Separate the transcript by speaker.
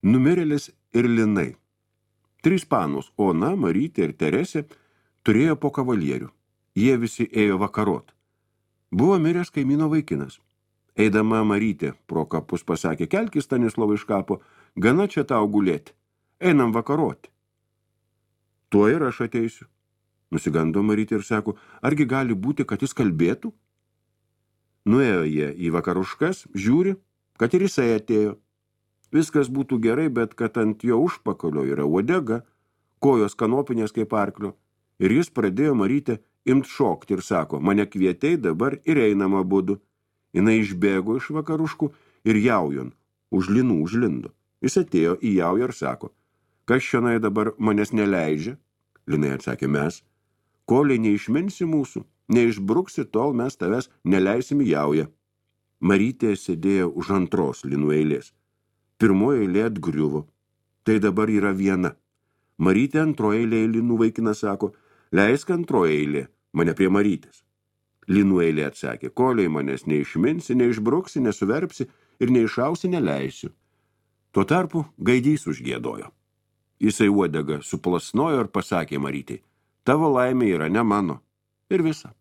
Speaker 1: Numirėlis ir linai. 3 panos, Ona, Marytė ir Teresė, turėjo po kavalierių. Jie visi ėjo vakarot. Buvo miręs kaimyno vaikinas. Eidama Marytė pro kapus pasakė, kelkis Stanislovai iš kapo, gana čia tau gulėti. Einam vakaroti. Tuo ir aš ateisiu. Nusigando Marytė ir sako, argi gali būti, kad jis kalbėtų? Nuėjo jie į vakaruškas, žiūri, kad ir jisai atėjo. Viskas būtų gerai, bet kad ant jo užpakalio yra uodega, kojos kanopinės kaip arklio. Ir jis pradėjo Marytę imt šokti ir sako, mane kvietei dabar ir einama būdu. Jinai išbėgo iš vakaruškų ir jaujon, už linų užlindo. Jis atėjo į jaują ir sako, kas šionai dabar manęs neleidžia? Linai atsakė, mes. Koliai neišminsi mūsų, neišbruksi, tol mes tavęs neleisim į jaują. Marytė sėdėjo už antros linų eilės. Pirmoji eilė atgriuvo. Tai dabar yra viena. Marytė antroji eilė linų vaikinas sako, leisk antroji eilė, mane prie Marytės. Linų eilė atsakė, koliai manęs neišminsi, neišbruksi, nesuverpsi ir neišausi, neleisiu. Tuo tarpu gaidys užgiedojo. Jisai uodegą suplasnojo ir pasakė Marytei, tavo laimė yra ne mano. Ir visa.